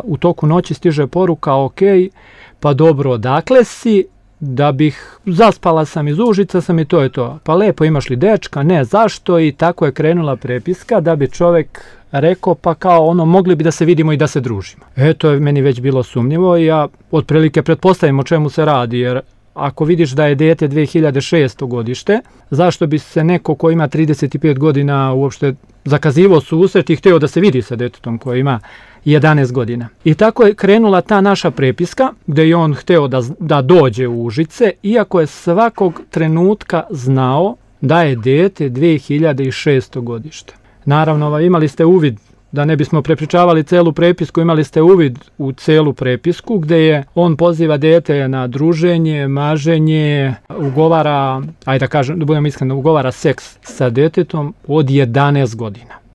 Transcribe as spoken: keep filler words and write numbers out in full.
u toku noći stiže poruka, ok, pa dobro, odakle si, da bih, zaspala sam iz Užica sam i to je to. Pa lepo, imaš li dečka? Ne, zašto? I tako je krenula prepiska da bi čovjek rekao, pa kao ono, mogli bi da se vidimo i da se družimo. E, to je meni već bilo sumnjivo i ja otprilike pretpostavim o čemu se radi, jer ako vidiš da je dijete dve hiljade šeste. godište, zašto bi se neko ko ima trideset pet godina uopšte zakazivao susret i hteo da se vidi sa detetom koje ima jedanaest godina. I tako je krenula ta naša prepiska gde je on hteo da, da dođe u Užice, iako je svakog trenutka znao da je dijete dve hiljade šeste. godište. Naravno, imali ste uvid, da ne bismo prepričavali celu prepisku, imali ste uvid u celu prepisku gde je on poziva dijete na druženje, maženje, ugovara, ajde da kažem, da budem iskren, ugovara seks sa detetom od jedanaest godina.